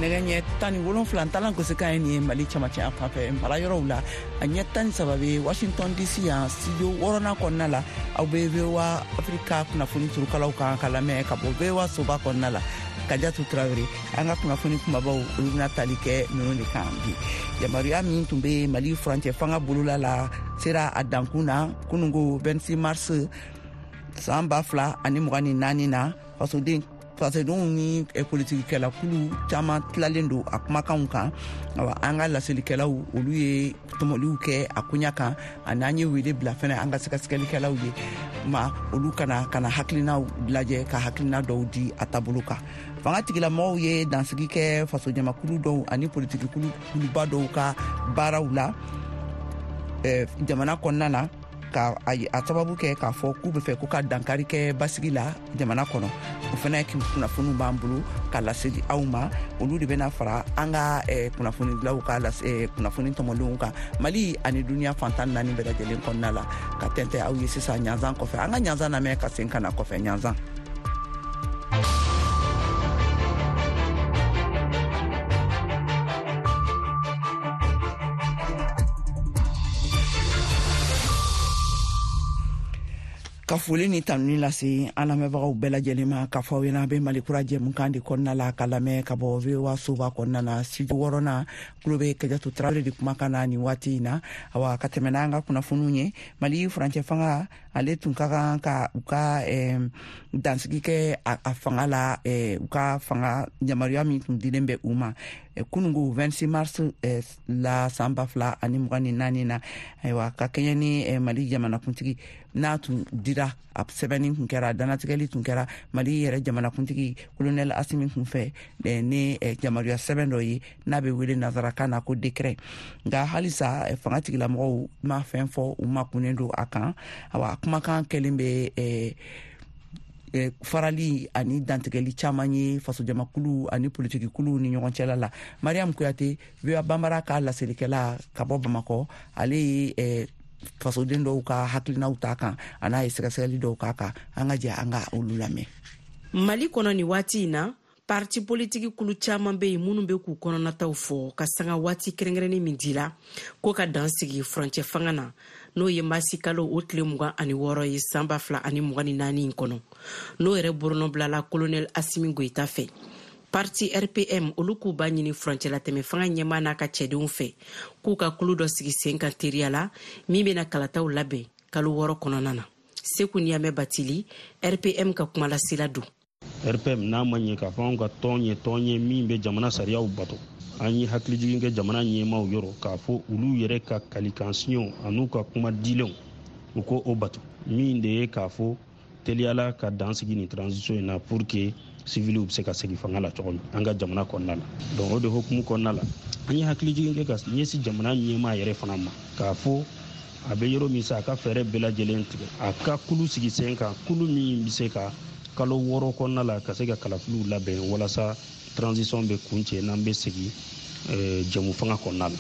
Nɛgɛ ɲɛ 17 talan gosikan ye nin ye Mali camancɛ yan fan fɛ mara yɔrɔw la, a ɲɛ 13 bɛ Washington DC yan studio wɔɔrɔnan kɔnɔna la. Aw bɛ VOA Afrika kunnafoni turukalaw kan ka lamɛn ka bɔ VOA soba kɔnɔna la. Kajatu Tarawele, an ka kunnafoni kumabaw, olu bɛna tali kɛ ninnu de kan bi. Yamaruya min tun bɛ Mali furancɛ fanga bolola la sera a dankun na kunungo 26 mars san 2024 na. Fasodenw ni politikikɛlakulu caman tilalen don a kumakanw kan. Awa, an ka laselikɛlaw, olu ye tɔmɔliw kɛ a koɲa kan, ani an ye wele bila fɛnɛ an ka sɛgɛsɛgɛlikɛlaw ye ma, olu kana kana hakilinaw lajɛ ka hakilina dɔw di a taabolo kan. Fanga tigilamɔgɔw ye dansigi kɛ fasojamakulu dɔw ani politikikuluba dɔw ka baaraw la jamana kɔnɔna na, ka a sababu kɛ k'a fɔ k'u bɛ fɛ ko ka dankari kɛ basigi la jamana kɔnɔ. O fana kunnafoniw b'an bolo ka laseli aw ma. Olu de bɛna fara an ka kunnafonidilaw ka kunnafoni tɔmɔlenw kan Mali ani duniya fan 14 bɛɛ lajɛlen kɔnɔna la, ka tɛntɛ aw ye sisan ɲanzan kɔfɛ. An ka ɲanzan lamɛn ka sen ka na kɔfɛ ɲanzan. Ka foli ni tanuni lase an lamɛnbagaw bɛɛ lajɛlen ma, k'a fɔ aw ɲɛna, bɛ Mali Kura jɛmukan de kɔnɔna la, ka lamɛn ka bɔ VOA soba kɔnɔna na, studio wɔɔrɔnan. Tulo bɛ Kajatu Tarawele de kumakan na nin waati in na. Awa, ka tɛmɛ n'an ka kunnafoniw ye, Mali furancɛ fanga, ale tun ka kan ka u ka dansigi kɛ a fanga la, u ka fanga yamaruya min tun dilen bɛ u ma kunungo 26 mars la san 2024 na. Ayiwa, ka kɛɲɛ ni Mali jamanakuntigi n'a tun dira, a sɛbɛnni tun kɛra, danatigɛli tun kɛra Mali yɛrɛ jamanakuntigi Colonel Asimi kun fɛ ni yamaruya sɛbɛn dɔ ye n'a bɛ wele nazarakan na ko décret. Nka halisa fanga tigilamɔgɔw ma fɛn fɔ, u ma kunnen don a kan. Awa, kumakan kɛlen bɛ farali ani dantigɛli caman ye fasojamakulu ani politikikuluw ni ɲɔgɔn cɛla la. Mariam Kuyate, VOA Banbara ka laselikɛla ka bɔ Bamakɔ, ale ye fasoden dɔw ka hakilinaw ta kan, a n'a ye sɛgɛsɛgɛli dɔw k'a kan. An ka jɛ an ka olu lamɛn. Mali kɔnɔ nin waati in na, parti politiki kulu caman bɛ yen minnu bɛ k'u kɔnɔnataw fɔ ka sanga waati kɛrɛnkɛrɛnnen min dila ko ka dan sigi furancɛ fanga na, n'o ye masi kalo o tile 26 ye san 2024 in kɔnɔ, n'o yɛrɛ bolonɔ colonel Asimi Goyita fɛ. Parti RPM, olu k'u b'a ɲini furancɛlatɛmɛ fanga ɲɛmaa n'a ka cɛdenw fɛ k'u ka kulu dɔ sigi sen kan teriya la min bɛna kalataw labɛn kalo 6 kɔnɔna na. Seku Niyamɛ Batili, RPM ka kumalasela don. RPM n'a ma ɲɛ k'a fɔ anw ka tɔn ye tɔn ye min bɛ jamana sariyaw bato, an ye hakilijigin kɛ jamana ɲɛmaaw yɔrɔ k'a fɔ olu yɛrɛ ka kalikansiɲɛw an'u ka kuma dilenw, u ko o bato, min de ye k'a fɔ teliyala ka dan sigi nin transition in na pour que civiliw bɛ se ka segin fanga la cogo min an ka jamana kɔnɔna la. Donc o de hukumu kɔnɔna la, an ye hakilijigin kɛ ka ɲɛsin jamana ɲɛmaa yɛrɛ fana ma k'a fɔ a bɛ yɔrɔ min sa, a ka fɛɛrɛ bɛɛ lajɛlen tigɛ, a ka kulu sigi sen kan, kulu min bɛ se ka kalo 6 kɔnɔna la ka se ka kalafiliw labɛn walasa transition bɛ kuncɛ n'an bɛ segin jɛmu fanga kɔnɔna la.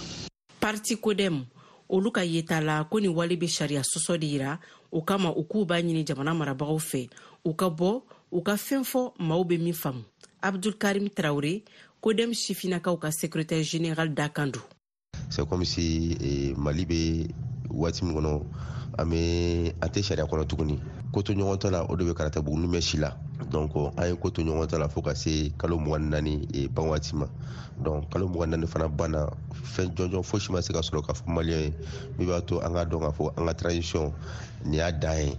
Parti Kodem, olu ka yeta la ko nin wale bɛ sariya sɔsɔ de yira. O kama, u k'u b'a ɲini jamana marabagaw fɛ u ka bɔ u ka fɛn fɔ maaw bɛ min faamu. Abdulkarim Tarawele, Kodem sifinnakaw ka secrétaire général dakan don. C'est comme si Mali bɛ waati min kɔnɔ, an bɛ an tɛ sariya kɔnɔ tuguni. Ko to ɲɔgɔn ta la, o de bɛ karata buguni bɛ si la. Donc an ye ko to ɲɔgɔn ta la fo ka se kalo 24 ban waati ma. Donc kalo 24 fana banna, fɛn jɔnjɔn fosi ma se ka sɔrɔ k'a fɔ maliyɛn ye min b'a to an k'a dɔn k'a fɔ an ka transition nin y'a dan ye.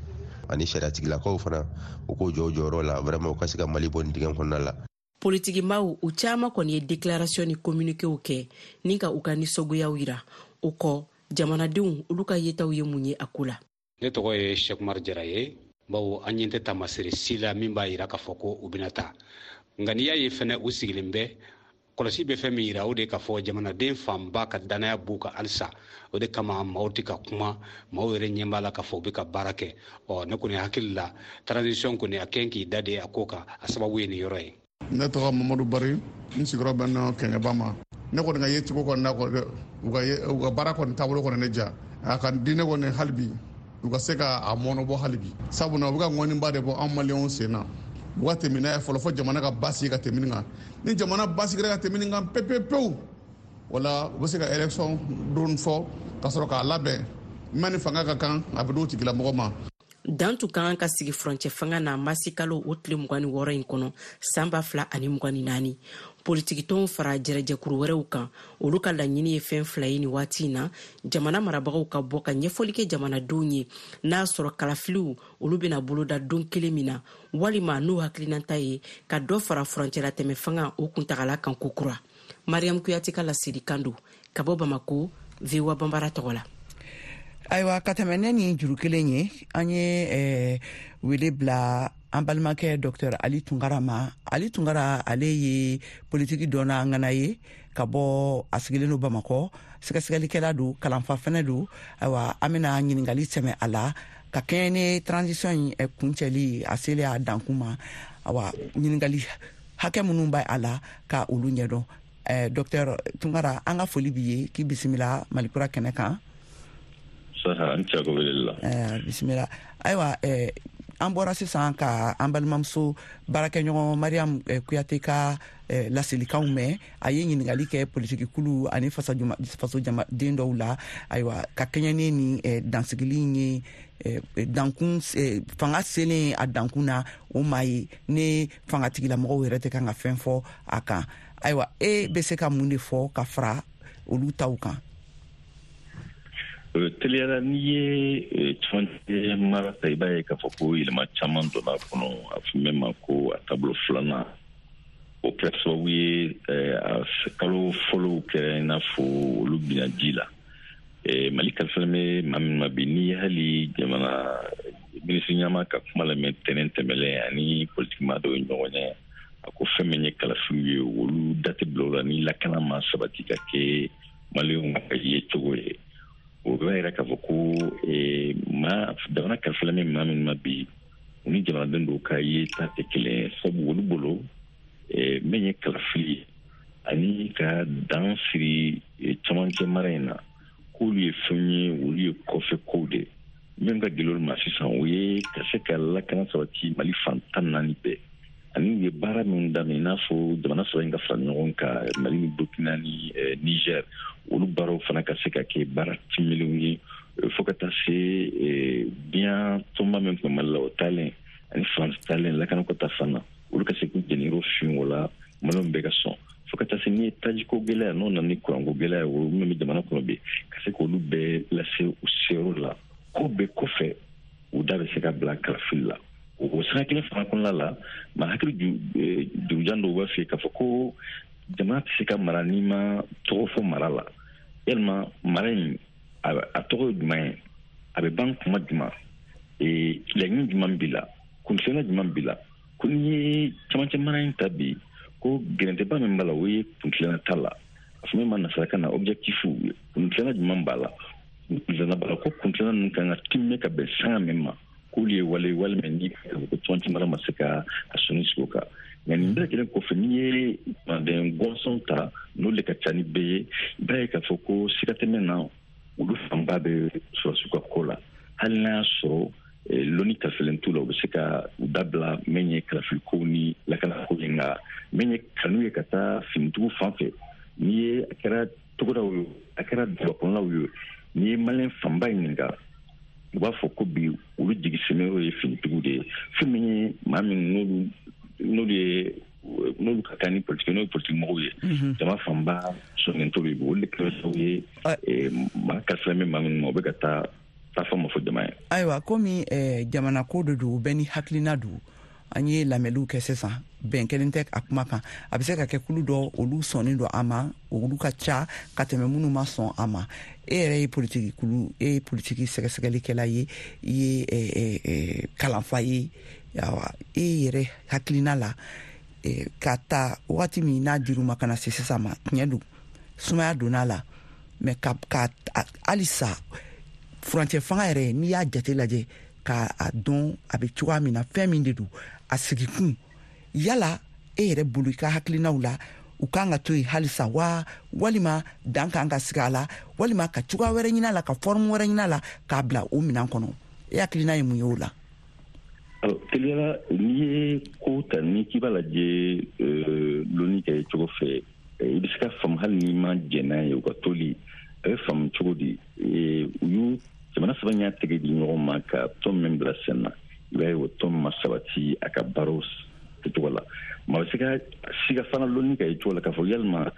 Ani sariyatigilakaw fana, u k'o jɔ u jɔyɔrɔ la vraiment, u ka se ka Mali bɔ nin dingɛ kɔnɔna la. Politikimaw, u caman kɔni ye déclaration ni communiquéw kɛ ni ka u ka nisɔngoyaw yira. O kɔ, jamanadenw, olu ka yetaw ye mun ye a ko la? Ne tɔgɔ ye Sekumar Jara ye. Bawo an ɲɛ tɛ taamasere si la min b'a yira k'a fɔ ko u bɛna taa. Nka n'i y'a ye fɛnɛ u sigilen bɛ, kɔlɔsi bɛ fɛn min yira, o de k'a fɔ jamanaden fanba ka danaya b'u kan halisa. O de kama maaw tɛ ka kuma, maaw yɛrɛ ɲɛ b'a la k'a fɔ u bɛ ka baara kɛ. Ɔ, ne kɔni hakili la, transition kɔni a kɛn k'i da de a ko kan, a sababu ye nin yɔrɔ ye. Ne tɔgɔ Mamadu Bari, n sigiyɔrɔ bɛ nɔ Kɛɲɛba ma. Ne kɔni ka yecogo kɔni na, u ka baara kɔni taabolo kɔni ne diya. A ka di ne kɔni hali bi u ka se ka a mɔnɔbɔ hali bi, sabula u bɛ ka ŋɔniba de bɔ an maliyɛnw sen na. U ka tɛmɛ n'a ye fɔlɔ fo jamana ka basigi ka tɛmɛ nin kan. Ni jamana basigira ka tɛmɛ nin kan pewu pewu, wala u bɛ se ka élection don fɔ ka sɔrɔ k'a labɛn min ni fanga ka kan, a bɛ d'o tigilamɔgɔ ma. Dan tun ka kan ka sigi furancɛ fanga na masikalo o tile 26 in kɔnɔ, san 2024. Politikitɔnw fara jɛrɛjɛkuru wɛrɛw kan, olu ka laɲini ye fɛn fila ye nin waati in na: jamana marabagaw ka bɔ ka ɲɛfɔli kɛ jamanadenw ye n'a sɔrɔ kalafiliw olu bɛna boloda don kelen min na, walima n'u hakilinata ye ka dɔ fara furancɛlatɛmɛ fanga o kuntagala kan kokura. Mariam Kuyate ka laselikan don ka bɔ Bamako, VOA Banbara tɔgɔ la. Ayiwa, ka tɛmɛ ne ni juru kelen ye, an ye wele bila an balimakɛ Dr Ali Tunkara ma. Ali Tunkara, ale ye politiki dɔnna ŋana ye ka bɔ, a sigilen don Bamakɔ, sɛgɛsɛgɛlikɛla don, kalanfa fɛnɛ don. Ayiwa, an bena ɲiningali sɛmɛ a la ka kɛɲɛ ni transition in kuncɛli a selen a dankun ma. Awa, ɲiningali hakɛ minnu b'a a la ka olu ɲɛdɔn. Dr Tunkara, an ka foli b'i ye, k'i bisimila Malikura kɛnɛ kan. An la. Bisimila. Ayiwa, an bɔra sisan ka an balimamuso baarakɛɲɔgɔn Mariam Kuyate ka laselikanw mɛn. A ye ɲininkali kɛ politiki kulu ani fasojamaden dɔw la. Ayiwa, ka kɛɲɛ ni nin dansigili ye, dankun fanga selen a dankun na, o maa ye ne fangatigilamɔgɔw yɛrɛ tɛ kan ka fɛn fɔ a kan. Ayiwa, e bɛ se ka mun de fɔ ka fara olu taw kan? Teliyala, n'i ye cɛmancɛ mara ta, i b'a ye k'a fɔ ko yɛlɛma caman donna a kɔnɔ. A fɔ min ma ko a taabolo filanan, o kɛra sababu ye a kalo fɔlɔw kɛra i n'a fɔ olu binna ji la. Mali kalifalen bɛ maa min ma bi, n'i ye hali jamana minisiri ɲɛmaa ka kuma lamɛn tɛnɛn tɛmɛlen ani politikima dɔw ye ɲɔgɔn ye, a ko fɛn min ye kalafiliw ye, olu da tɛ bila o la ni lakana ma sabati ka kɛ maliyɛnw ka ye cogo ye. O b'a yira k'a fɔ ko maa jamana kalifalen bɛ maa min ma bi, u ni jamanaden dɔw ka ye ta tɛ kelen ye, sabu olu bolo min ye kalafili ye ani ka dan siri camancɛ mara in na, k'olu ye fɛn ye, olu ye kɔfɛ kow de. Min ka gɛlɛn olu ma sisan, o ye ka se ka lakana sabati Mali fan 14 bɛɛ, ani u ye baara min daminɛ, i n'a fɔ jamana saba in ka fara ɲɔgɔn kan, Mali ni Burkina ni Niger, olu baaraw fana ka se ka kɛ baara timilenw ye, fo ka taa se diɲɛ tɔnba min tun bɛ Mali la, o taalen ani France taalen lakanako ta fan na, olu ka se k'u jeniyɔrɔ fin o la, maliyɛnw bɛɛ ka sɔn, fo ka taa se n'i ye tajiko gɛlɛya n'o nana ni kuranko gɛlɛya, o min bɛ jamana kɔnɔ bi, ka se k'olu bɛɛ lase u seyɔrɔ la. Ko bɛɛ kɔfɛ, u da bɛ se ka bila kalafili la. O sira kelen fana kɔnɔna la, maa hakili jurujan dɔw b'a fɛ k'a fɔ ko jamana tɛ se ka mara n'i ma tɔgɔ fɔ mara la. Yalima mara in a tɔgɔ ye jumɛn ye? A bɛ ban kuma jumɛn? Laɲini jumɛn b'i la? Kuntilenna jumɛn b'i la? Ko n'i ye camancɛ mara in ta bi, ko gɛrɛntɛba min b'a la, o ye kuntilenna ta la. A fɔ min ma nasarakan na objectif, kuntilenna jumɛn b'a la? Kuntilenna b'a la ko kuntilenna ninnu kan ka timmɛ ka bɛn sanga min ma, k'olu ye wale walima ni ko camancɛ mara ma se ka a sɔnni sigi o kan. Nka nin bɛɛ lajɛlen kɔfɛ, n'i ye jamanaden gɔnsɔn ta, n'olu de ka ca ni bɛɛ ye, i b'a ye k'a fɔ ko siga tɛ min na, olu fanba bɛ sɔrɔsiw ka ko la. Hali n'a y'a sɔrɔ lɔnni kalifalen t'u la, u bɛ se ka u dabila min ye kalafilikow ni lakanako ye. Nka min ye kanu ye ka taa finitigiw fan fɛ, n'i ye a kɛra togodaw ye, a kɛra dugubakɔnɔlaw ye, n'i ye maliyɛn fanba ɲininka, u b'a fɔ ko bi olu jigi sɛmɛyɔrɔ ye finitigiw de ye. Fɛn min ye maa min n'olu ka kan ni politiki, n'o ye politiki mɔgɔw ye, jama fanba sɔnnen t'olu ye. Olu de kɛra sababu ye maa kalifalen bɛ maa minnu ma, u bɛ ka taa taa fɔ ma fɔ jama ye. Ayiwa, komi jamana ko de don, bɛɛ ni hakilina don, an ye lamɛnliw kɛ sisan, bɛn kelen tɛ a kuma kan. A bɛ se ka kɛ kulu dɔ olu sɔnnen don a ma, olu ka ca ka tɛmɛ minnu ma sɔn a ma. E yɛrɛ ye politiki kulu, e ye politiki sɛgɛsɛgɛlikɛla ye, i ye kalanfa ye. Awa, e yɛrɛ hakilina la, ka ta wagati min n'a dir'u ma ka na se sisan ma, tiɲɛ don sumaya donna la, mɛ ka halisa furancɛ fanga yɛrɛ, n'i y'a jate lajɛ k'a dɔn a bɛ cogoya min na, fɛn min de don a sigikun, yala e yɛrɛ bolo, i ka hakilinaw la, u kan ka to yen halisa wa, walima dan kan ka sigi a la, walima ka cogoya wɛrɛ ɲini a la, ka forme wɛrɛ ɲini a la k'a bila o minɛn kɔnɔ? E hakilina ye mun ye o la? Teliyala, n'i ye ko ta, ni k'i b'a lajɛ lɔnni kɛ cogo fɛ, i bɛ se ka faamu hali n'i ma jɛn n'a ye. U ka toli, a bɛ faamu cogo di? U y'u jamana saba y'a tɛgɛ di ɲɔgɔn ma ka tɔn min bila sen na, i b'a ye o tɔn ma sabati a ka baaraw kɛcogo la. Maa bɛ se ka siga fana lɔnni ka ye cogo la k'a fɔ yalima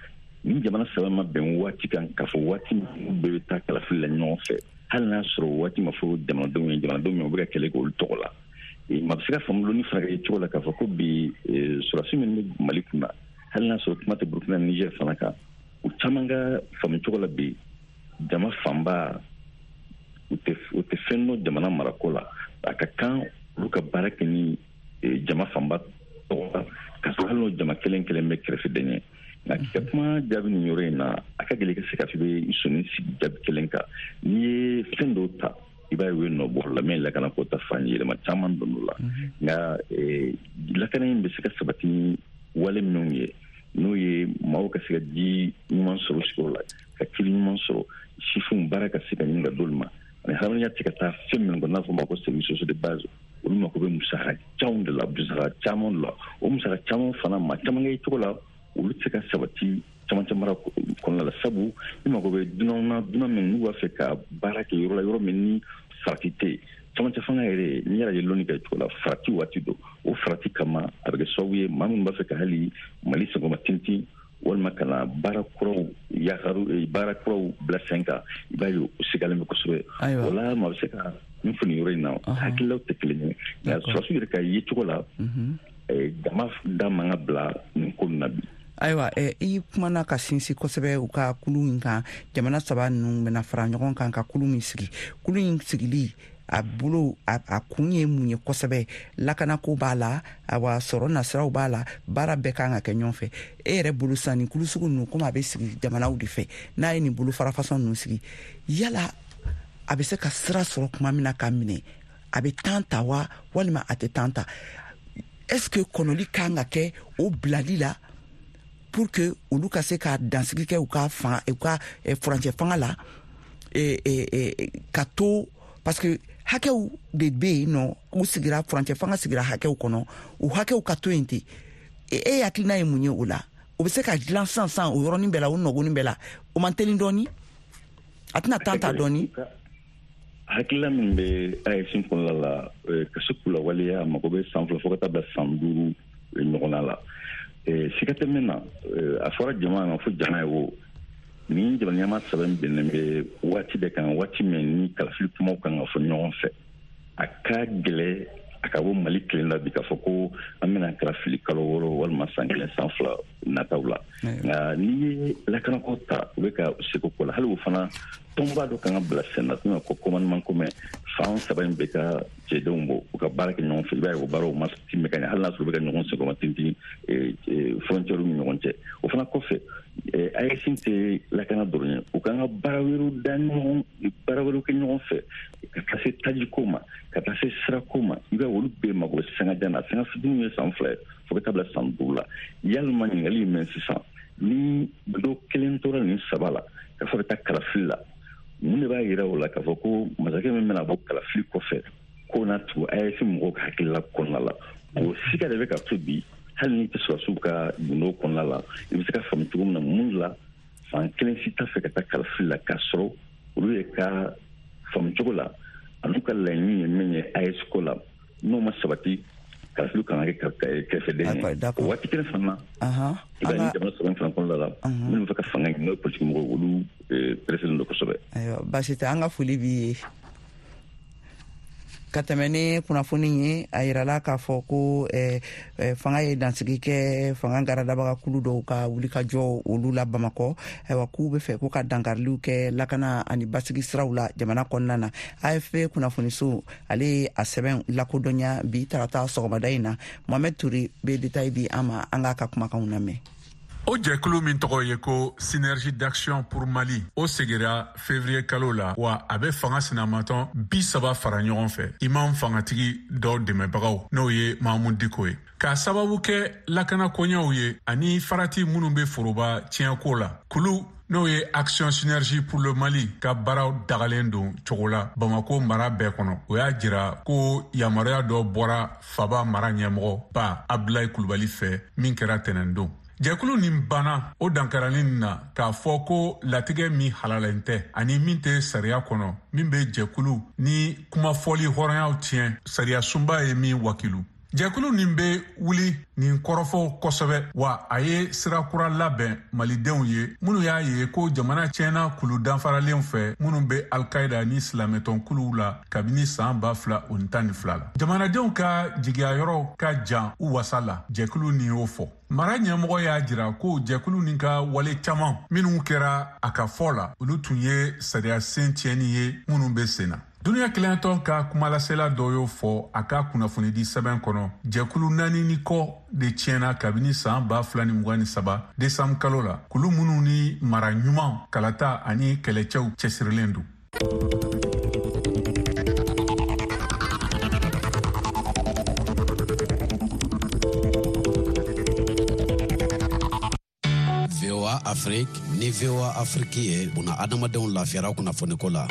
ni jamana saba ma bɛn waati kan k'a fɔ waati min bɛɛ bɛ taa kalafili la ɲɔgɔn fɛ, hali n'a sɔrɔ waati ma fɔ jamanadenw ye, jamanadenw min u bɛ ka kɛlɛ kɛ olu tɔgɔ la. Maa bɛ se ka faamu lɔnni fana ka ye cogo la k'a fɔ ko bi sɔrɔdasi minnu bɛ Mali kunna, hali n'a sɔrɔ kuma tɛ Burukina ni Niger fana kan, u caman ka faamu cogo la bi, jama fanba u tɛ fɛn dɔn jamana marako la. A ka kan olu ka baara kɛ ni jama fanba tɔgɔ la, ka sɔrɔ hali n'o jama kelen kelen bɛ kɛrɛfɛden ye. Nka k'i ka kuma jaabi nin yɔrɔ in na, a ka gɛlɛn i ka se k'a fɔ i bɛ sɔnni sigi jaabi kelen kan. N'i ye fɛn dɔw ta, i b'a ye u ye nɔ bɔ la min lakana ko ta fan, yɛlɛma caman donn'o la. Nka lakana in bɛ se ka sabati ni wale minnu ye, n'o ye maaw ka se ka ji ɲuman sɔrɔ sigiyɔrɔ la, ka kiri ɲuman sɔrɔ, sifinw baara ka se ka ɲini ka d'olu ma, ani hadamadenya tɛ ka taa fɛn minnu kɔ, n'a fɔ ma ko services sociaux de base, olu mako bɛ musaka caman de la, musaka caman de la. O musaka caman fana, maa caman kɛ cogo la, olu tɛ se ka sabati camancɛ mara kɔnɔna la, sabu i mako bɛ dunanw na, dunan min n'u b'a fɛ ka baara kɛ yɔrɔ la, yɔrɔ min ni farati tɛ yen. Camancɛ fanga yɛrɛ, n'i y'a ye lɔnni kɛ cogo la, farati waati don. O farati kama, a bɛ kɛ sababu ye maa minnu b'a fɛ ka hali Mali senkɔrɔma tintin walima ka na baara kuraw yakaru, baara kuraw bila sen kan, i b'a ye o sigalen bɛ kosɛbɛ. O la, maa bɛ se ka min fɔ nin yɔrɔ in na, hakililaw tɛ kelen ye, nka sɔrɔdasiw yɛrɛ ka ye cogo la, jama da man ka bila nin ko nin na bi. Ayiwa, i kumana ka sinsin kosɛbɛ u ka kulu in kan. Jamana saba ninnu bɛna fara ɲɔgɔn kan ka kulu min sigi, kulu in sigili a bolo a kun ye mun ye kosɛbɛ? Lakanako b'a la, awa sɔrɔ nasiraw b'a la, baara bɛɛ kan ka kɛ ɲɔgɔn fɛ. E yɛrɛ bolo sisan, nin kulu sugu ninnu, komi a bɛ sigi jamanaw de fɛ, n'a ye nin bolo fara fasɔn ninnu sigi, yala a bɛ se ka sira sɔrɔ tuma min na ka minɛ, a bɛ temps ta wa, walima a tɛ temps ta? Est ce que kɔnɔli kan ka kɛ o bilali la pour que olu ka se ka dansigi kɛ u ka fan, u ka furancɛ fanga la, ka to, parce que hakɛw de bɛ yen nɔ, u sigira furancɛ fanga sigira hakɛw kɔnɔ, u hakɛw ka to yen ten? E hakilina ye mun ye o la? O bɛ se ka dilan sisan sisan, o yɔrɔnin bɛɛ la, o nɔgɔnin bɛɛ la? O man teli dɔɔni? A tɛna temps ta dɔɔni? Hakilila min bɛ AES kɔnɔna la, ka se k'u lawaleya, a mago bɛ san 2 fo ka taa bila san 5 ɲɔgɔnna la. Siga tɛ min na, a fɔra jama ma fo jama ye o ni jamana ɲɛmaa saba in bɛnnen bɛ waati de kan, waati min ni kalafili kumaw kan ka fɔ ɲɔgɔn fɛ. A ka gɛlɛ a ka bɔ Mali kelen la bi k'a fɔ ko an bɛna kalafili kalo 6 walima san 1, san 2 nataw la. Nka n'i ye lakanako ta, u bɛ ka seko ko la, hali o fana tɔnba dɔ kan ka bila sen na, ko commandement commun, fan saba in bɛ ka cɛdenw bɔ, u ka baara kɛ ɲɔgɔn fɛ. I b'a ye o baaraw ma timɛ ka ɲɛ, hali n'a sɔrɔ u bɛ ka ɲɔgɔn senkɔrɔma tintin frontière ni ɲɔgɔn cɛ. O fana kɔfɛ, AES tɛ lakana dɔrɔn ye, u kan ka baara wɛrɛw da ɲɔgɔn, baara wɛrɛw kɛ ɲɔgɔn fɛ, ka taa se tajiko ma, ka taa se sirako ma. I b'a ye olu bɛɛ mago bɛ sanga jan na, sanga fitinin ye san 2 ye fo ka taa bila san 5 la. Yalima ɲininkali ye min sisan, ni dɔ kelen tora nin saba la k'a fɔ bɛ taa kalafili la, mun de b'a yira o la k'a fɔ ko masakɛ min bɛna bɔ kalafili kɔfɛ k'o na tugu AES mɔgɔw ka hakilila kɔnɔna la? O siga de bɛ ka to bi, hali n'i tɛ sɔrɔdasiw ka gundo kɔnɔna la, i bɛ se ka faamu cogo min na mun la fan kelen si t'a fɛ ka taa kalafili la, k'a sɔrɔ olu ye ka faamu cogo la an'u ka laɲini ye min ye AES ko la, n'o ma sabati, kalafili kan ka kɛ kɛrɛfɛden ye. O waati kelen fana, i b'a ye jamana saba in fana kɔnɔna la, minnu bɛ fɛ ka fanga ɲini, n'o ye politiki mɔgɔw, olu pereselen don kosɛbɛ. Ayiwa, baasi tɛ, an ka foli b'i ye. Ka tɛmɛ ni kunnafoni ye, a yirala k'a fɔ ko fanga ye dansigi kɛ fanga garadabaga kulu dɔw ka wulikajɔ olu la Bamakɔ. Ayiwa, k'u bɛ fɛ ko ka dankariliw kɛ lakana ani basigi siraw la jamana kɔnɔna na. AFP kunnafoniso ale ye a sɛbɛn lakodɔnya bi tarata sɔgɔmada in na. Mohamed Touré bɛ détail di an ma, an k'a ka kumakanw lamɛn. O jɛkulu min tɔgɔ ye ko Synergie d'action pour Mali, o sigira février kalo la, wa a bɛ fanga sinamatɔn 30 fara ɲɔgɔn fɛ, imam fangatigi dɔw dɛmɛbagaw, n'o ye Mahamudu Diko ye. K'a sababu kɛ lakana koɲɛw ye ani farati minnu bɛ foroba tiɲɛko la, kulu n'o ye Action Synergie pour le Mali ka baaraw dagalen don cogo la Bamako mara bɛɛ kɔnɔ. O y'a jira ko yamaruya dɔ bɔra faba mara ɲɛmɔgɔ ba Abdulayi Kulubali fɛ min kɛra tɛnɛndon. Jɛkulu nin banna o dankarali nin na k'a fɔ ko latigɛ min halalen tɛ ani min tɛ sariya kɔnɔ, min bɛ jɛkulu ni kumafɔli hɔrɔnyaw tiɲɛ, sariya sunba ye min wakilu. Jɛkulu nin bɛ wuli nin kɔrɔfɔw kosɛbɛ, wa a ye sira kura labɛn malidenw ye minnu y'a ye ko jamana tiɲɛna kulu danfaralen fɛ minnu bɛ alkaida ni silamɛtɔn kuluw la kabini san 2012 la. Jamanadenw ka jigiya yɔrɔ ka jan u wasa la, jɛkulu nin y'o fɔ. Mara ɲɛmɔgɔ y'a jira ko jɛkulu nin ka wale caman minnu kɛra a ka fɔ la, olu tun ye sariya sen tiɲɛni ye minnu bɛ sen na. Duniya kelenyatɔn ka kumalasela dɔ y'o fɔ a ka kunnafonidi sɛbɛn kɔnɔ. Jɛkulu 4 ni kɔ de tiɲɛna kabini san 2023 desanburu kalo la, kulu minnu ni mara ɲuman, kalata ani kɛlɛcɛw cɛsirilen don. VOA Afrique ni VOA Afrique ye buna adamadenw lafiyara kunnafoniko la.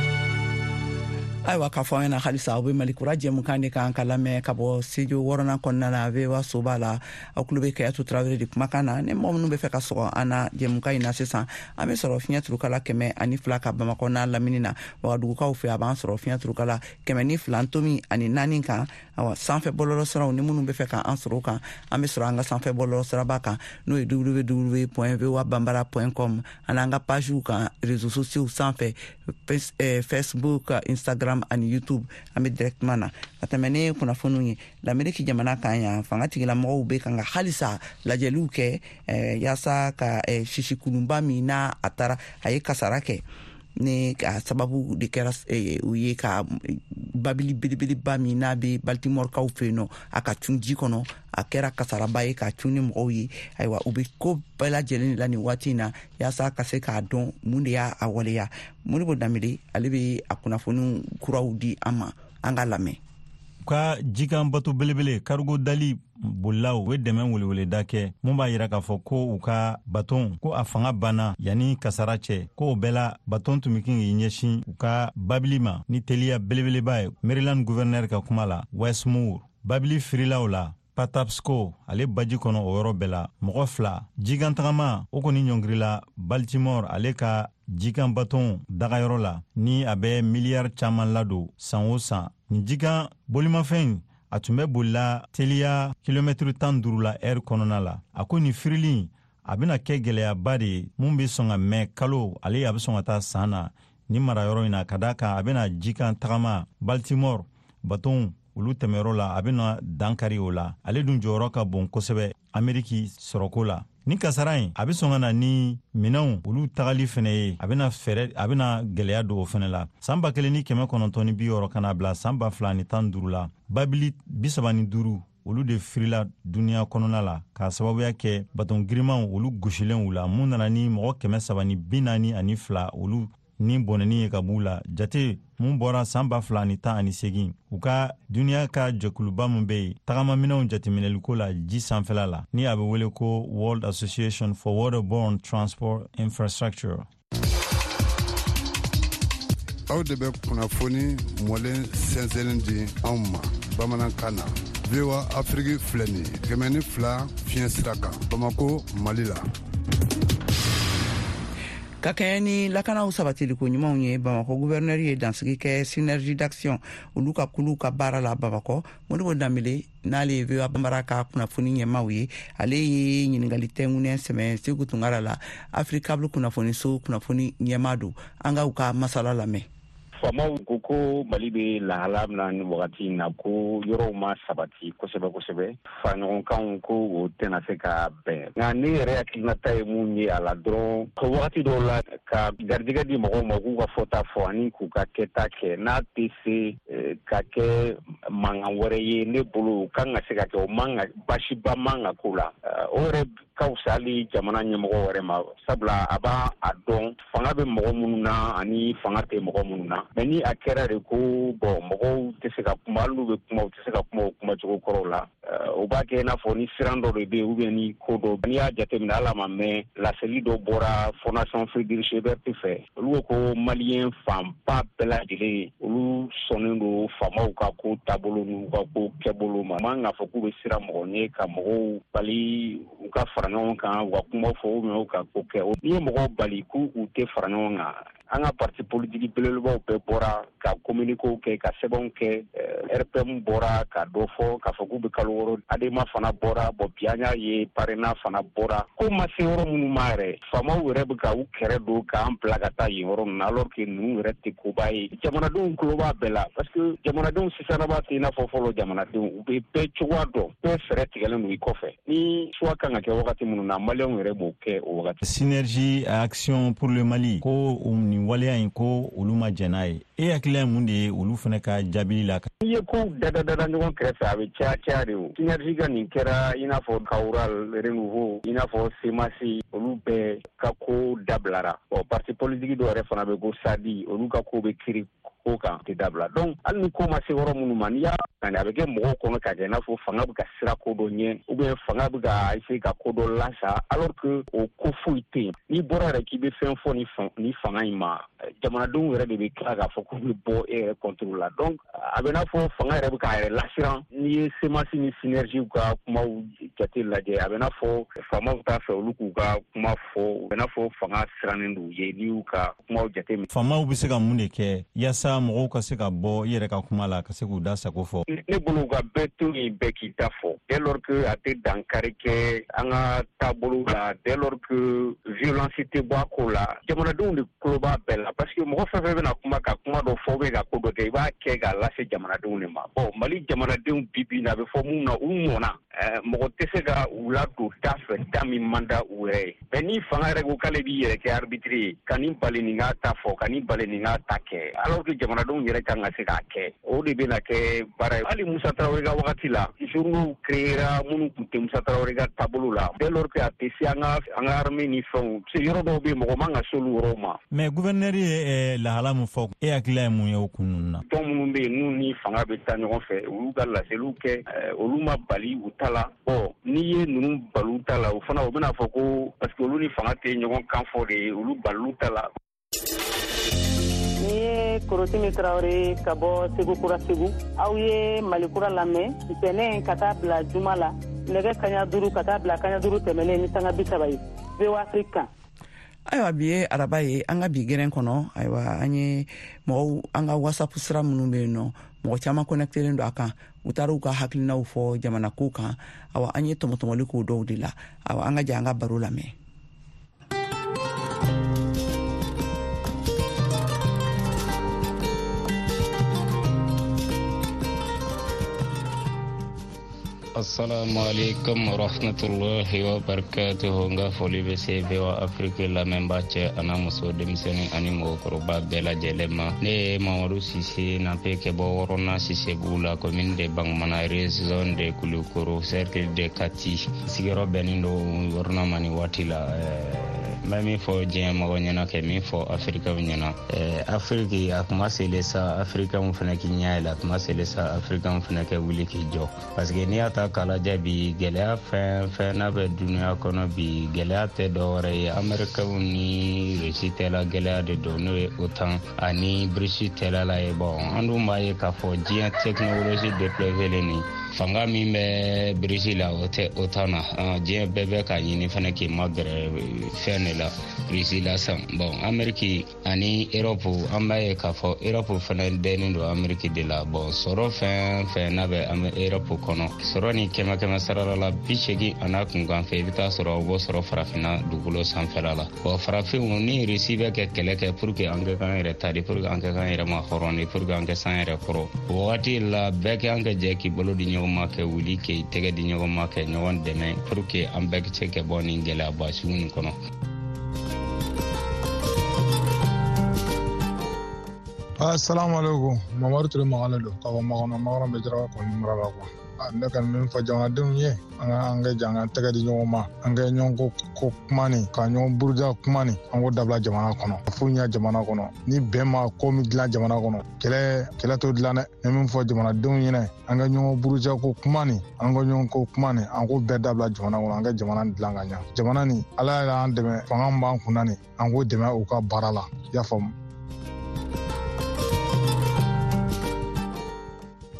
Ayiwa, k'a fɔ an ɲɛna halisa aw bɛ Mali Kura jɛmukan de kan ka lamɛn ka bɔ studio wɔɔrɔnan kɔnɔna na VOA soba la. Aw tulo bɛ Kayatu Tarawele de kumakan na. Ni mɔgɔ minnu bɛ fɛ ka sɔgɔ an na jɛmukan in na sisan, an bɛ sɔrɔ fiɲɛ turukala 102 ka Bamakɔ n'a lamini na. Wagadugukaw fɛ, a b'an sɔrɔ fiɲɛ turukala 102.4 kan. Awa, sanfɛ bɔlɔlɔ siraw, ni minnu bɛ fɛ k'an sɔrɔ o kan, an bɛ sɔrɔ an ka sanfɛ bɔlɔlɔ siraba kan, n'o ye www point voa bambara point com, ani an ka pagew kan réseaux sociaux sanfɛ, Facebook, Instagram ani YouTube. An bɛ directement na ka tɛmɛ ni kunnafoniw ye. Lameriki jamana kan yan, fanga tigilamɔgɔw bɛ kan ka halisa lajɛliw kɛ yaasa ka sisikulunba min n'a a taara a ye kasara kɛ, ni a sababu de kɛra u ye ka babili belebeleba min n'a bɛ Baltimore-kaw fɛ yen nɔ, a ka cun ji kɔnɔ, a kɛra kasaraba ye ka cun ni mɔgɔw ye. Ayiwa, u bɛ ko bɛɛ lajɛlen de la nin waati in na yaasa ka se k'a dɔn mun de y'a a waleya. Modibo Danbele, ale bɛ a kunnafoniw kuraw di an ma, an ka lamɛn. Ka jikan bato belebele cargo Dali bolilaw u ye dɛmɛ weleweleda kɛ mun b'a yira k'a fɔ ko u ka baton ko a fanga banna yanni kasara cɛ, ko o bɛɛ la baton tun bɛ kin k'i ɲɛsin u ka babili ma ni teliya belebeleba ye. Maryland gouverneur ka kuma la, Wes Moore, babili firilaw la Patapsco ale baji kɔnɔ, o yɔrɔ bɛɛ la mɔgɔ 2 jikantagama o kɔni ɲɔngirila Baltimore ale ka jikan baton dagayɔrɔ la ni a bɛ miliyari caman ladon san o san. Nin jikan bolimafɛn a tun bɛ bolila teliya kilomɛtiri 15 la ɛri kɔnɔna la. A ko nin firili a bɛna kɛ gɛlɛyaba de ye mun bɛ sɔn ka mɛn kalo ale a bɛ sɔn ka taa san na ni marayɔrɔ in na, ka d'a kan a bɛna jikan tagama Baltimore baton olu tɛmɛyɔrɔ la, a bɛna dankari o la. Ale dun jɔyɔrɔ ka bon kosɛbɛ Ameriki sɔrɔko la. Ni kasara in a bɛ sɔn ka na ni minɛnw olu tagali fɛnɛ ye, a bɛna fɛɛrɛ, a bɛna gɛlɛya don o fɛnɛ la. San 1960 ka na bila san 2015 la, babili 35 olu de firila duniya kɔnɔna la k'a sababuya kɛ baton girimanw olu gosilenw la, mun nana ni mɔgɔ 342 olu ni bɔnɛni ye ka b'u la. Jate mun bɔra san 2018, u ka duniya ka jɛkuluba min bɛ yen tagamaminɛnw jateminɛliko la ji sanfɛla la, ni a bɛ wele ko World Association for Waterborne Transport Infrastructure. Aw de bɛ kunnafoni mɔlen sɛnsɛnnin di anw ma bamanankan na. VOA Afrique filɛ nin ye 102 fiɲɛ sira kan Bamako, Mali la. Ka kɛɲɛ ni lakanaw sabatiliko ɲumanw ye, Bamakɔ guvɛrnɛri ye dansigi kɛ Synergie d'action olu ka kuluw ka baara la Bamakɔ. Modibo Danbele, n'ale ye VOA Bambara ka kunnafoni ɲɛmaw ye, ale ye ɲininkali tɛngunnɛ sɛmɛ Segu Tunkara la, Africable kunnafoniso kunnafoni ɲɛma don. An ka u ka masala lamɛn. Faamaw ko ko Mali bɛ lahala min na nin wagati in na, ko yɔrɔw ma sabati kosɛbɛ kosɛbɛ, faraɲɔgɔnkanw ko o tɛna se ka bɛn. Nka ne yɛrɛ hakilinata ye mun ye a la dɔrɔn, wagati dɔw la ka garijɛgɛ di mɔgɔw ma k'u ka fɔta fɔ ani k'u ka kɛta kɛ, n'a tɛ se ka kɛ mankan wɛrɛ ye, ne bolo o kan ka se ka kɛ, o man ka baasiba man ka k'o la. O yɛrɛ ka fisa hali jamana ɲɛmɔgɔ wɛrɛ ma, sabula a b'a a dɔn fanga bɛ mɔgɔ minnu na ani fanga tɛ mɔgɔ minnu na. Mais ni a kɛra de ko bon, mɔgɔw tɛ se ka kuma, hali n'u bɛ kuma, u tɛ se ka kuma o kumacogo kɔrɔw la, o b'a kɛ i n'a fɔ ni siran dɔ de bɛ yen ou bien ni ko dɔ. N'i y'a jateminɛ, hali a ma mɛn, laseli dɔ bɔra Fondation Friedrich Ebert fɛ. Olu ko ko maliyɛn fanba bɛɛ lajɛlen, olu sɔnnen don faamaw ka ko taabolo n'u ka ko kɛbolo ma. Man k'a fɔ k'u bɛ siran mɔgɔ ɲɛ ka mɔgɔw bali u ka fara ɲɔgɔn kan, u ka kuma fɔ ou bien u ka ko kɛ. N'i ye mɔgɔw bali k'u u tɛ fara ɲɔgɔn kan, an ka parti politique belebelebaw bɛɛ bɔra ka communiquéw kɛ, ka sɛbɛnw kɛ. RPM bɔra ka dɔ fɔ k'a fɔ k'u bɛ kalo 6. ADEMA fana bɔra. Bon, bi an y'a ye PARENA fana bɔra. Ko ma se yɔrɔ minnu ma yɛrɛ, faamaw yɛrɛ bɛ ka u kɛrɛ don k'an bila ka taa yen yɔrɔ ninnu na, alors que ninnu yɛrɛ tɛ koba ye. Jamanadenw tulo b'a bɛɛ la, parce que jamanadenw sisanaba tɛ i n'a fɔ fɔlɔ jamanadenw. U bɛ bɛɛ cogoya dɔn, bɛɛ fɛɛrɛ tigɛlen don i kɔfɛ. Ni choix kan ka kɛ wagati minnu na, maliyɛnw yɛrɛ b'o kɛ o wagati. Synergie Action pour le Mali ko nin waleya in, ko olu ma jɛn n'a ye. E hakilila ye mun de ye olu fana ka jaabili la? N'i ye kow dada ɲɔgɔn kɛrɛfɛ, a bɛ caya caya de. O Synergie ka nin kɛra i n'a fɔ Kawural, Renouveau, i n'a fɔ CMAS, olu bɛɛ ka ko dabilara. Bon, parti politique dɔw yɛrɛ fana bɛ ko SADI, olu ka ko bɛ kiri ko kan tɛ dabila. Donc hali ni ko ma se yɔrɔ minnu ma, n'i y'a a bɛ kɛ mɔgɔw kɔnɔ ka kɛ i n'a fɔ fanga bɛ ka sira ko dɔ ɲɛ ou bien fanga bɛ ka essayer ka ko dɔ lasa, alors que o ko foyi tɛ yen. N'i bɔra yɛrɛ k'i bɛ fɛn fɔ ni fanga in ma, jamanadenw yɛrɛ de bɛ tila k'a fɔ k'u bɛ bɔ e yɛrɛ contre la. Donc a bɛ n'a fɔ fanga yɛrɛ bɛ k'a yɛrɛ lasiran. N'i ye CMAS ni Synergie ka kumaw jate lajɛ, a bɛ n'a fɔ faamaw t'a fɛ olu k'u ka kuma fɔ, a bɛ n'a fɔ fanga sirannen don u ye n'i y'u ka kumaw jate minɛ. Faamaw bɛ se ka mun de kɛ yaasa mɔgɔw ka se ka bɔ i yɛrɛ ka kuma la, ka se k'u da sago fɔ? Ne bolo, ka bɛɛ to yen, bɛɛ k'i ta fɔ, dès lors que a tɛ dankari kɛ an ka taabolo la, dès lors que violence tɛ bɔ a ko la. Jamanadenw de tulo b'a bɛɛ la, parce que mɔgɔ fɛn fɛn bɛna kuma, ka kuma dɔ fɔ bɛ ka ko dɔ kɛ, i b'a kɛ k'a lase jamanadenw de ma. Bon, Mali jamanadenw bi bi in na, a bɛ fɔ mun na, u mɔnna. Mɔgɔ tɛ se ka u ladon da fɛ da min man da u yɛrɛ ye. Mais ni fanga yɛrɛ ko k'ale b'i yɛrɛ kɛ arbitre ye, ka nin bali nin k'a ta fɔ, ka nin bali nin k'a ta kɛ, alors que jamanadenw yɛrɛ kan ka se k'a kɛ, o de bɛna kɛ baara ye. Hali Musa Tarawele ka wagati la, journaux créera minnu tun tɛ Musa Tarawele ka taabolo la, dès lors que a tɛ se an ka armée ni fɛnw se. Yɔrɔ dɔw bɛ yen, mɔgɔ man ka se olu yɔrɔw ma. Mais gouverneur ye lahala min fɔ, e hakilila ye mun ye o kun ninnu na? Tɔn minnu bɛ yen n'u ni fanga bɛ taa ɲɔgɔn fɛ, olu ka laseliw kɛ, olu ma bali u ta la. Bon, n'i ye ninnu bali u ta la, o fana o bɛna fɔ ko parce que olu ni fanga tɛ ɲɔgɔn kan fɔ de ye, olu balilu ta la. Ni ye Korotimi Tarawele ka bɔ Segu Kura, Segu. Aw ye Mali Kura lamɛn ntɛnɛn ka taa bila juma la, nɛgɛ 17:30 ka taa bila 15 tɛmɛnen ni sanga 30 ye, VOA Afrique kan. Ayiwa, bi ye araba ye. An ka bi gɛrɛn kɔnɔ, ayiwa, an ye mɔgɔw, an ka WhatsApp sira minnu bɛ yen nɔ, mɔgɔ caman connectelen don a kan. U taara u ka hakilinaw fɔ jamana ko kan. Awa, an ye tɔmɔtɔmɔli k'o dɔw de la. Awa, an ka jɛ an ka baro lamɛn. Assalamu alaikum warahmatullahi wabarakatuhu. N ka foli bɛ se VOA Afrique lamɛnbaa cɛ ana muso, denmisɛnnin ani mɔgɔkɔrɔba bɛɛ lajɛlen ma. Ne ye Mamadu Sise Nape kɛ bɔ Wɔrɔna Sisebugu la, commune de Bangumana, région de Kulukoro, cercle de Kati. Sigiyɔrɔ bɛnnen don Wɔrɔna ma nin waati la. N bɛ min fɔ diɲɛ mɔgɔ ɲɛna, kɛ min fɔ afirikaw ɲɛna, Afiriki a kuma sele sa, afirikaw fana k'i ɲɛ yɛlɛ. A kuma sele sa, afirikaw fana kɛ wuli k'i jɔ, parce que n'i y'a ta k'a lajɛ bi, gɛlɛya fɛn fɛn n'a bɛ duniya kɔnɔ bi, gɛlɛya tɛ dɔwɛrɛ ye, amerikaw ni Rusi tɛla gɛlɛya de don, n'o ye OTAN ani BRICS tɛla la ye. Bon, an dun b'a ye k'a fɔ diɲɛ technologie développé nin, fanga min bɛ BRICS la, o tɛ OTAN na. Diɲɛ bɛɛ bɛ k'a ɲini fana k'i magɛrɛ fɛn de la, Russie la san. Bon, Amérique ani Europe, an b'a ye k'a fɔ Europe fana dɛnnen don Amérique de la. Bon, sɔrɔ fɛn fɛn n'a bɛ Europe kɔnɔ, sɔrɔ ni kɛmɛ kɛmɛ sarala la 80 a n'a kunkan fɛ, i bɛ taa sɔrɔ o b'o sɔrɔ farafinna dugukolo sanfɛla la. Bon, farafinw ni Russie bɛ kɛ kɛlɛ kɛ pour que an kɛ k'an yɛrɛ ta de, pour que an kɛ k'an yɛrɛ ma hɔrɔn de, pour que an kɛ san yɛrɛ kɔrɔ. O wagati la, bɛɛ kɛ an kɛ jɛ k'i bolo di ɲɔgɔn ma, kɛ wuli k'i tɛgɛ di ɲɔgɔn ma, kɛ ɲɔgɔn dɛmɛ pour que an bɛɛ se kɛ bɔ nin gɛlɛyaba sugu nin kɔnɔ. Assalamu alaikum. Mamadu Ture Magale don ka bɔ Makɔnɔ. Makɔnɔ bɛ Jaraba kɔni mara la kuwa. Ne kɔni min fɔ jamanadenw ye, an ka jɛ an ka tɛgɛ di ɲɔgɔn ma, an ka ɲɔgɔn ko kuma nin, ka ɲɔgɔn buruja kuma nin, an k'o dabila jamana kɔnɔ. Fo ɲɛ jamana kɔnɔ, ni bɛn ma ko min dilan jamana kɔnɔ, kɛlɛ t'o dilan dɛ. Ne min fɔ jamanadenw ɲɛna, an ka ɲɔgɔn buruja ko kuma nin, an ka ɲɔgɔn ko kuma nin, an k'o bɛɛ dabila jamana kɔnɔ, an ka jamana dilan ka ɲa. Jamana nin, Ala y'an dɛmɛ, fanga min b'an kunna nin, an k'o dɛmɛ u ka baara la. I y'a faamu.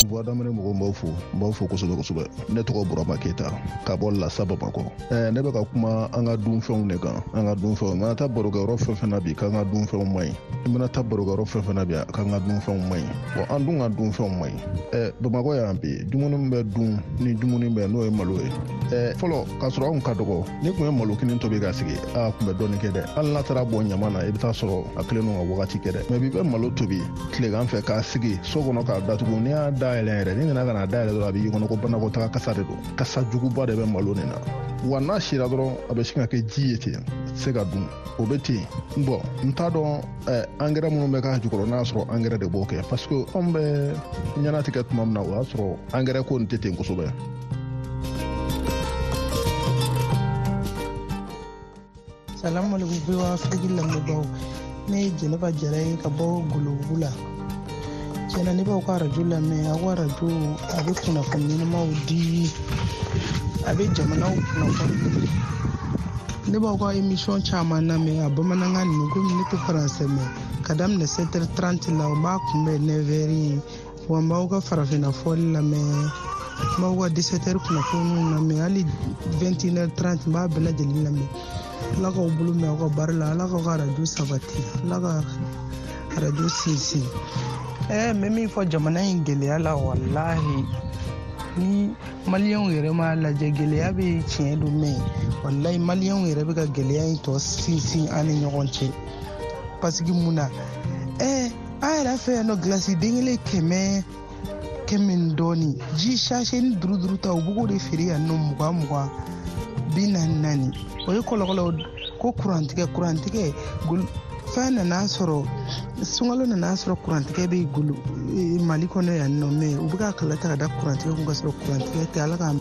Voix d'Amérique mɔgɔw, n b'aw fo, n b'aw fo kosɛbɛ kosɛbɛ. Ne tɔgɔ Burama Keyita ka bɔ Lasa, Bamakɔ. Ne bɛ ka kuma an ka dunfɛnw de kan, an ka dunfɛnw. I mana taa barokɛyɔrɔ fɛn fɛn na bi, k'an ka dunfɛnw man ɲi. I mana taa barokɛyɔrɔ fɛn fɛn na bi, k'an ka dunfɛnw man ɲi. Bon, an dun ka dunfɛnw man ɲi. Bamakɔ yan bi, dumuni min bɛ dun ni dumuni bɛ, n'o ye malo ye. Fɔlɔ, k'a sɔrɔ anw ka dɔgɔ, n'i tun ye malo kinin tobi ka sigi, a tun bɛ dɔɔnin kɛ dɛ. Hali n'a taara bɔn ɲama na, i bɛ taa sɔrɔ a kelen don ka wagati kɛ dɛ. Mais bi, bɛ malo tobi tilegan fɛ k'a sigi so kɔnɔ k'a datugu, n'i y'a dayɛlɛ yɛrɛ, n'i nana ka na dayɛlɛ dɔrɔn, a b'i kɔnɔ ko banakɔtaga kasa de don. Kasa juguba de bɛ malo nin na. Wa n'a sira dɔrɔn, a bɛ sin ka kɛ ji ye ten, a tɛ se ka dun. O bɛ ten. Bon, n t'a dɔn angɛrɛ minnu bɛ k'a jukɔrɔ, n'a y'a sɔrɔ angɛrɛ de b'o kɛ, parce que anw bɛ ɲɛnatigɛ tuma min na, o y'a sɔrɔ angɛrɛ ko nin tɛ ten kosɛbɛ. Salamu alaikum, VOA Afrique lamɛnbaaw. Ne ye Jɛnɛba Jara ye ka bɔ Golobugu la. Tiɲɛna, ne b'aw ka arajo lamɛn. Aw ka arajo, a bɛ kunnafoni ɲɛnamaw di, a bɛ jamanaw kunnafoni. Ne b'aw ka émission caman lamɛn a bamanankan ninnu, komi ne tɛ faransɛ mɛn. Ka daminɛ 7h30 la, o b'a kunbɛn 9h ye. Wa n b'aw ka farafinna fɔli lamɛn, n b'aw ka 17h kunnafoniw lamɛn, hali 21h30, n b'a bɛɛ lajɛlen lamɛn. Ala k'aw bolo mɛn aw ka baara la, Ala k'aw ka arajo sabati, Ala ka arajo sinsin. N bɛ min fɔ jamana in gɛlɛya la, walahi, ni maliyɛnw yɛrɛ m'a lajɛ, gɛlɛya bɛ tiɲɛ don, mɛ walahi, maliyɛnw yɛrɛ bɛ ka gɛlɛya in tɔ sinsin an ni ɲɔgɔn cɛ. Parce que mun na, an yɛrɛ fɛ yan nɔ, gilasi den kelen 100 ni dɔɔni, ji sachet ni duuru duuru ta, u b'o de feere yan nɔ 20 20, 40 40. O ye kɔlɔkɔlɔ ko kurantigɛ fɛn nana sɔrɔ, sunkalo nana sɔrɔ, kurantigɛ bɛ golo Mali kɔnɔ yan nɔ, mɛ u bɛ ka kala ta ka da kurantigɛ kun, ka sɔrɔ kurantigɛ tɛ. Ala ka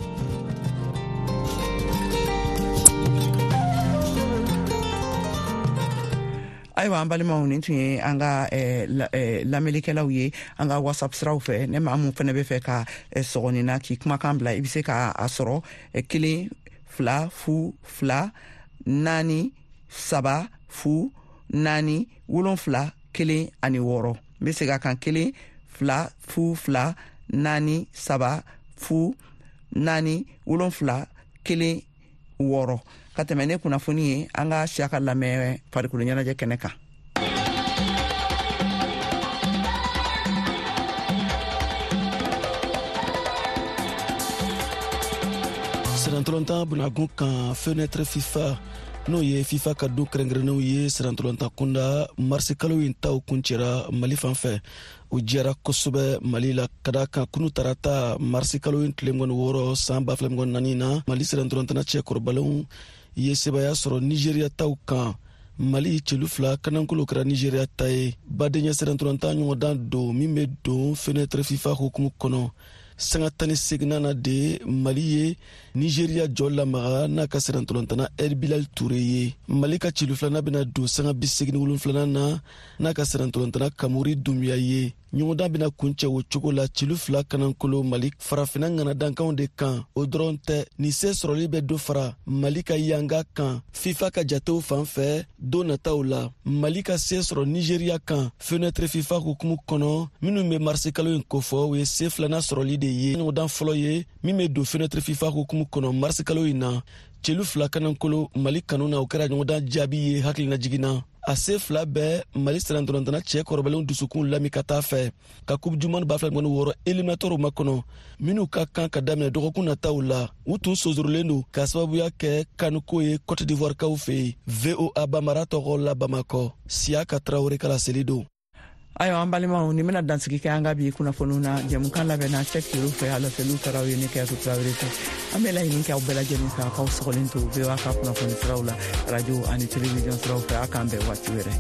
Ayiwa, an balimaw, nin tun ye an ka lamɛnnikɛlaw ye an ka WhatsApp siraw fɛ. Ne maa mun fɛnɛ bɛ fɛ ka sɔgɔnin na k'i kumakan bila, i bɛ se ka a sɔrɔ 1 2 0 2 4 3 0 4 7 1 ani 6. N bɛ segin a kan: 1 2 0 2 4 3 0 4 7 1 6. Ka tɛmɛ ne kunnafoni ye, an ka siya ka lamɛn farikolo ɲɛnajɛ kɛnɛ kan. Sirantɔlɔntan bunagun kan, fenêtre FIFA, n'o ye FIFA ka don kɛrɛnkɛrɛnnenw ye sirantɔlɔntan kunda, marisi kalo in taw kuncɛra Mali fan fɛ. O diyara kosɛbɛ Mali la, ka da kan kunu tarata, marisi kalo in tile 26 san 2024 na, Mali sirantɔlɔntanna cɛkɔrɔbalenw ye sebaya sɔrɔ Nigeriya taw kan. Mali celu 2 kanankolo kɛra Nigeriya ta ye. Badenya sirantɔlɔntan ɲɔgɔndan don min bɛ don fenêtre FIFA hukumu kɔnɔ. Sanga 18nan na de, Mali ye Nigeriya jɔ lamaga n'a ka sirantɔlɔntana El Bilal Ture ye. Mali ka celu filanan bɛna don sanga 87nan na n'a ka sirantɔlɔntana Kamori Dunbiya ye. Ɲɔgɔndan bɛna kuncɛ o cogo la, celu 2 kanankolo Mali, farafinna ŋanadankanw de kan. O dɔrɔn tɛ, nin se sɔrɔli bɛ dɔ fara Mali ka yanga kan FIFA ka jatew fan fɛ don nataw la. Mali ka se sɔrɔ Nigeriya kan fenêtre FIFA hukumu kɔnɔ minnu bɛ marisi kalo in kofɔ, o ye se filanan sɔrɔli de ye, ɲɔgɔndan fɔlɔ ye min bɛ don fenêtre FIFA hukumu kɔnɔ marisi kalo in na. Celu 2 kanankolo Mali kanu na, o kɛra ɲɔgɔndan jaabi ye hakilina na. A se fila bɛɛ Mali sirantɔlɔntana cɛ kɔrɔbalenw dusukun lami ka taa fɛ ka Coupe du monde 2026 éliminatoires makɔnɔ, minnu ka kan ka daminɛ dɔgɔkun nataw la. U tun sonsorolen don k'a sababuya kɛ kanuko ye Cote d'Ivoire kaw fɛ yen. VOA Bamara tɔgɔ la, Bamakɔ, Siyaka Tarawele ka laseli don. Ayiwa, an balimaw, nin bɛna dansigi kɛ an ka bi kunnafoniw na. Jɛmukan labɛnna Sɛk Yoro fɛ, a laseliw taara ye ne Kɛyatu Tarawele fɛ. An bɛ laɲini kɛ aw bɛɛ lajɛlen fɛ, a k'aw sɔgɔlen to VOA ka kunnafoni siraw la, radio ani télévision siraw fɛ. A k'an bɛn waati wɛrɛ.